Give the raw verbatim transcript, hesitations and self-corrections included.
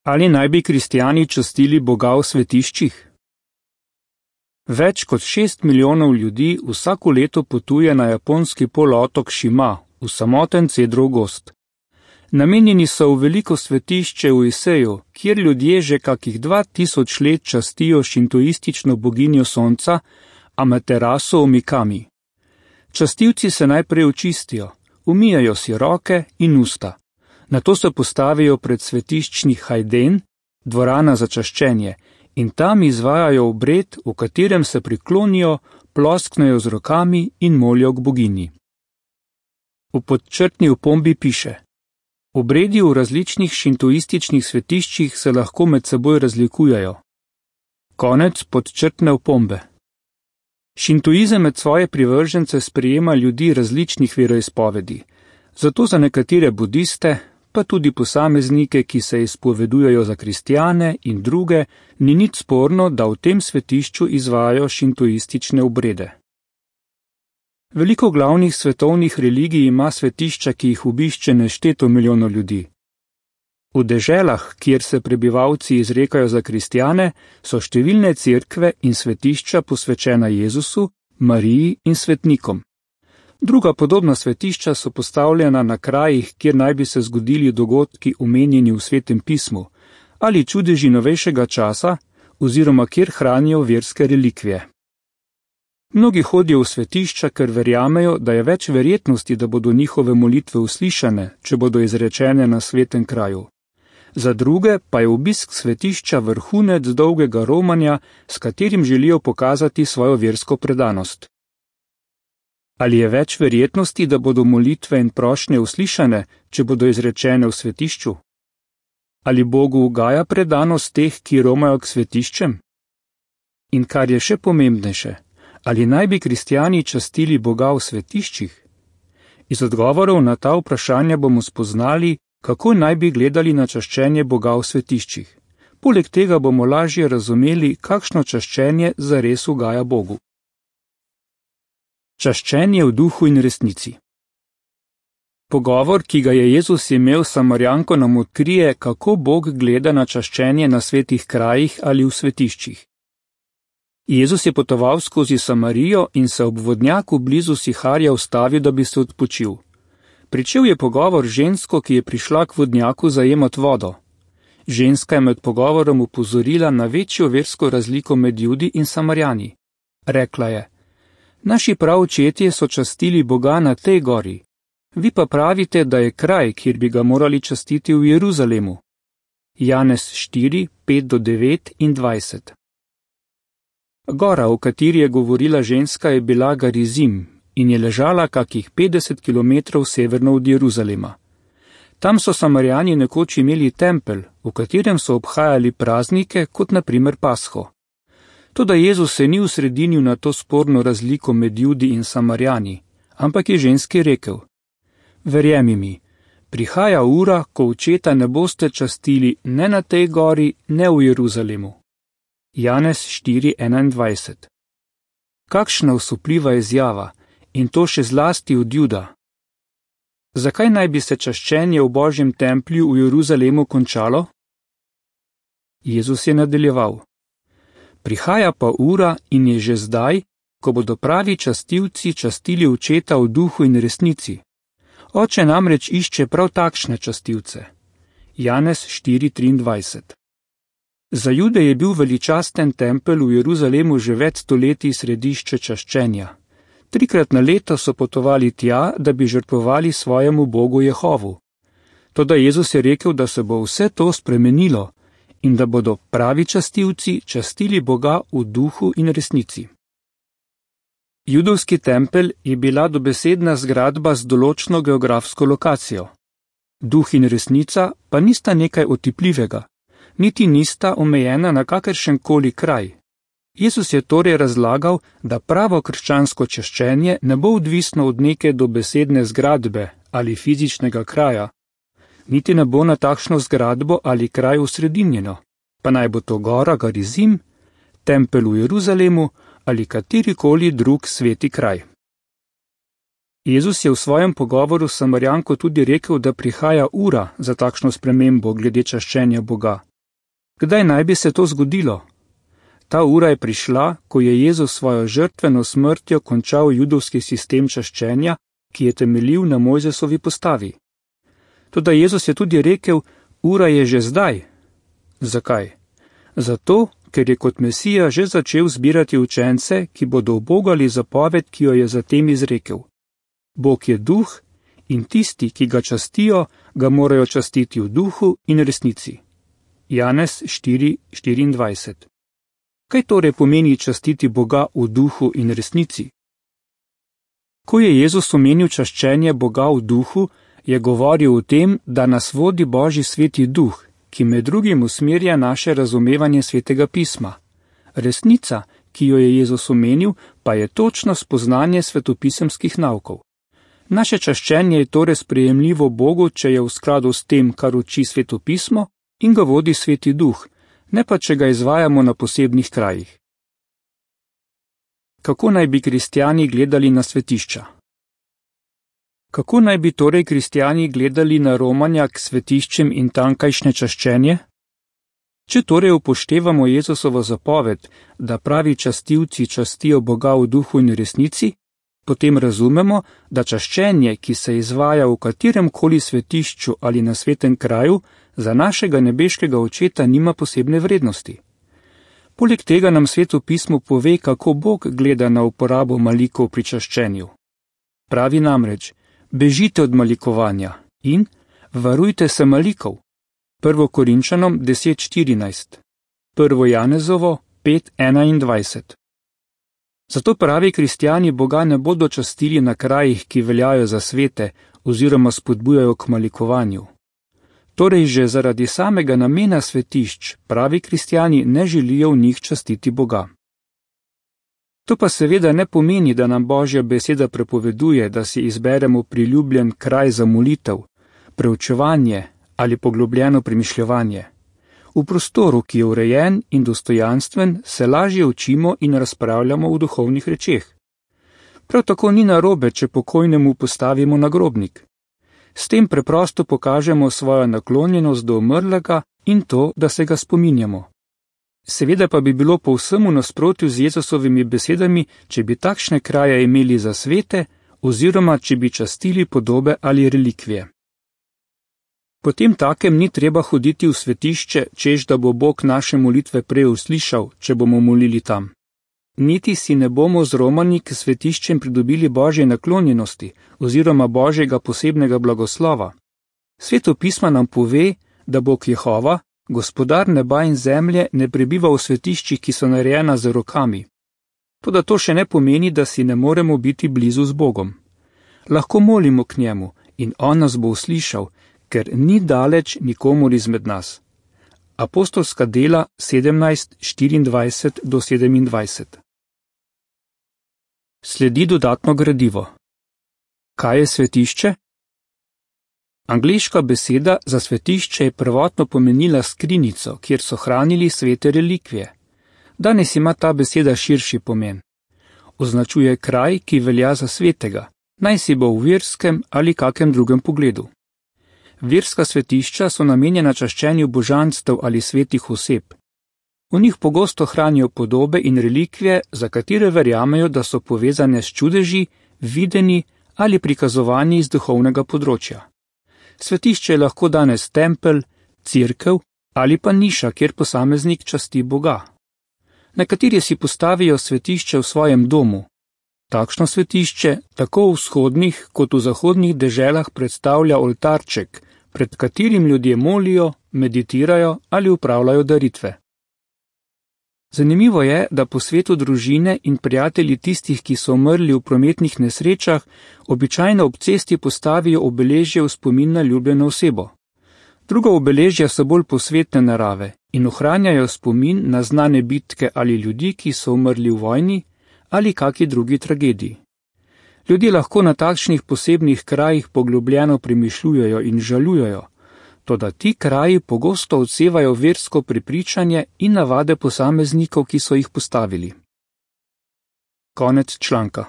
Ali naj bi kristjani častili Boga v svetiščih? Več kot šest milijonov ljudi vsako leto potuje na japonski polotok Šima, v samoten cedrov gozd. Namenjeni so v veliko svetišče v Iseju, kjer ljudje že kakih dva tisoč let častijo šintoistično boginjo sonca Amaterasu Omikami. Častilci se najprej očistijo, umijajo si roke in usta. Nato se postavijo pred svetiščni hajden, dvorana za čaščenje, in tam izvajajo obred, v katerem se priklonijo, plosknejo z rokami in molijo k boginji. V podčrtni opombi piše: obredi v različnih šintoističnih svetiščih se lahko med seboj razlikujejo. Konec podčrtne opombe. Šintoizem med svoje privržence sprejema ljudi različnih veroizpovedi, zato za nekatere budiste, pa tudi posameznike, ki se izpovedujejo za kristjane in druge, ni nič sporno, da v tem svetišču izvajajo šintoistične obrede. Veliko glavnih svetovnih religij ima svetišča, ki jih obišče nešteto milijonov ljudi. V deželah, kjer se prebivalci izrekajo za kristjane, so številne cerkve in svetišča posvečena Jezusu, Mariji in svetnikom. Druga podobna svetišča so postavljena na krajih, kjer naj bi se zgodili dogodki omenjeni v Svetem pismu, ali čudeži novejšega časa, oziroma kjer hranijo verske relikvije. Mnogi hodijo v svetišča, ker verjamejo, da je več verjetnosti, da bodo njihove molitve uslišane, če bodo izrečene na svetem kraju. Za druge pa je obisk svetišča vrhunec dolgega romanja, s katerim želijo pokazati svojo versko predanost. Ali je več verjetnosti, da bodo molitve in prošnje uslišane, če bodo izrečene v svetišču? Ali Bogu ugaja predanost teh, ki romajo k svetiščem? In kar je še pomembnejše, ali naj bi kristjani častili Boga v svetiščih? Iz odgovorov na ta vprašanja bomo spoznali, kako naj bi gledali na čaščenje Boga v svetiščih. Poleg tega bomo lažje razumeli, kakšno čaščenje zares ugaja Bogu. Čaščenje v duhu in resnici. Pogovor, ki ga je Jezus imel s Samarjanko, nam odkrije, kako Bog gleda na čaščenje na svetih krajih ali v svetiščih. Jezus je potoval skozi Samarijo in se ob vodnjaku blizu Siharja ustavil, da bi se odpočil. Pričel je pogovor žensko, ki je prišla k vodnjaku zajemat vodo. Ženska je med pogovorom upozorila na večjo versko razliko med Judi in Samarjani. Rekla je: naši praočetje so častili Boga na tej gori, vi pa pravite, da je kraj, kjer bi ga morali častiti v Jeruzalemu. Janez štiri, pet do devet in dvajset. Gora, o kateri je govorila ženska, je bila Garizim in je ležala kakih petdeset kilometrov severno od Jeruzalema. Tam so Samarjani nekoč imeli tempelj, v katerem so obhajali praznike, kot na primer Pasho. Toda Jezus se ni usredinil na to sporno razliko med Judi in Samarjani, ampak je ženski rekel: verjemi mi, prihaja ura, ko očeta ne boste častili ne na tej gori, ne v Jeruzalemu. Janez štiri, enaindvajset. Kakšna osupljiva izjava, in to še zlasti od Juda. Zakaj naj bi se čaščenje v Božjem templju v Jeruzalemu končalo? Jezus je nadaljeval: prihaja pa ura in je že zdaj, ko bodo pravi častilci častili očeta v duhu in resnici. Oče namreč išče prav takšne častilce. Janez štiri, triindvajset. Za Jude je bil veličasten tempelj v Jeruzalemu že več stoletij središče čaščenja. Trikrat na leto so potovali tja, da bi žrtvovali svojemu Bogu Jehovu. Toda Jezus je rekel, da se bo vse to spremenilo in da bodo pravi častilci častili Boga v duhu in resnici. Judovski tempelj je bila dobesedna zgradba z določno geografsko lokacijo. Duh in resnica pa nista nekaj otipljivega, niti nista omejena na kakršenkoli kraj. Jezus je torej razlagal, da pravo krščansko čaščenje ne bo odvisno od neke dobesedne zgradbe ali fizičnega kraja, niti ne bo na takšno zgradbo ali kraj usredinjeno, pa naj bo to gora Garizim, tempelj v Jeruzalemu ali katerikoli drug sveti kraj. Jezus je v svojem pogovoru s Samarjanko tudi rekel, da prihaja ura za takšno spremembo glede čaščenja Boga. Kdaj naj bi se to zgodilo? Ta ura je prišla, ko je Jezus svojo žrtveno smrtjo končal judovski sistem čaščenja, ki je temeljil na Mojzesovi postavi. Toda Jezus je tudi rekel, ura je že zdaj. Zakaj? Zato, ker je kot Mesija že začel zbirati učence, ki bodo ubogali zapoved, ki jo je zatem izrekel. Bog je duh in tisti, ki ga častijo, ga morajo častiti v duhu in resnici. Janez štiri štiriindvajset. Kaj torej pomeni častiti Boga v duhu in resnici? Ko je Jezus omenil čaščenje Boga v duhu, je govoril o tem, da nas vodi Božji sveti duh, ki med drugim usmerja naše razumevanje svetega pisma. Resnica, ki jo je Jezus omenil, pa je točno spoznanje svetopisemskih naukov. Naše čaščenje je torej sprejemljivo Bogu, če je v skladu s tem, kar uči svetopismo in ga vodi sveti duh, ne pa če ga izvajamo na posebnih krajih. Kako naj bi kristjani gledali na svetišča? Kako naj bi torej kristjani gledali na romanja k svetiščem in tankajšnje čaščenje? Če torej upoštevamo Jezusovo zapoved, da pravi častilci častijo Boga v duhu in resnici, potem razumemo, da čaščenje, ki se izvaja v katerem koli svetišču ali na svetem kraju, za našega nebeškega očeta nima posebne vrednosti. Poleg tega nam sveto pismo pove, kako Bog gleda na uporabo malikov pri čaščenju. Pravi namreč, bežite od malikovanja in varujte se malikov. Prvo Korinčanom deset štirinajst, prvo Janezovo pet enaindvajset. Zato pravi kristjani Boga ne bodo častili na krajih, ki veljajo za svete oziroma spodbujajo k malikovanju. Torej že zaradi samega namena svetišč pravi kristjani ne želijo v njih častiti Boga. To pa seveda ne pomeni, da nam Božja beseda prepoveduje, da si izberemo priljubljen kraj za molitev, preučevanje ali poglobljeno premišljevanje. V prostoru, ki je urejen in dostojanstven, se lažje učimo in razpravljamo v duhovnih rečeh. Prav tako ni narobe, če pokojnemu postavimo nagrobnik. S tem preprosto pokažemo svojo naklonjenost do umrlega in to, da se ga spominjamo. Seveda pa bi bilo povsem v nasprotju z Jezusovimi besedami, če bi takšne kraje imeli za svete oziroma če bi častili podobe ali relikvije. Potem takem ni treba hoditi v svetišče, čež da bo Bog naše molitve prej uslišal, če bomo molili tam. Niti si ne bomo z romanji k svetiščem pridobili Božje naklonjenosti oziroma Božjega posebnega blagoslova. Sveto pisma nam pove, da Bog Jehova, gospodar neba in zemlje, ne prebiva v svetiščih, ki so narejena z rokami. Toda to še ne pomeni, da si ne moremo biti blizu z Bogom. Lahko molimo k njemu in on nas bo uslišal, ker ni daleč nikomur izmed nas. Apostolska dela sedemnajst štiriindvajset do sedemindvajset. Sledi dodatno gradivo. Kaj je svetišče? Angleška beseda za svetišče je prvotno pomenila skrinjico, kjer so hranili svete relikvije. Danes ima ta beseda širši pomen. Označuje kraj, ki velja za svetega, naj si bo v verskem ali kakem drugem pogledu. Verska svetišča so namenjena čaščenju božanstev ali svetih oseb. V njih pogosto hranijo podobe in relikvije, za katere verjamejo, da so povezane s čudeži, videni ali prikazovanji iz duhovnega področja. Svetišče je lahko danes tempelj, cerkev ali pa niša, kjer posameznik časti Boga. Nekateri si postavijo svetišče v svojem domu. Takšno svetišče tako v vzhodnih kot v zahodnih deželah predstavlja oltarček, pred katerim ljudje molijo, meditirajo ali upravljajo daritve. Zanimivo je, da po svetu družine in prijatelji tistih, ki so umrli v prometnih nesrečah, običajno ob cesti postavijo obeležje v spomin na ljubljeno osebo. Druga obeležja so bolj posvetne narave in ohranjajo spomin na znane bitke ali ljudi, ki so umrli v vojni ali kaki drugi tragediji. Ljudje lahko na takšnih posebnih krajih poglobljeno premišljujejo in žalujejo, toda ti kraji pogosto odsevajo versko prepričanje in navade posameznikov, ki so jih postavili. Konec članka.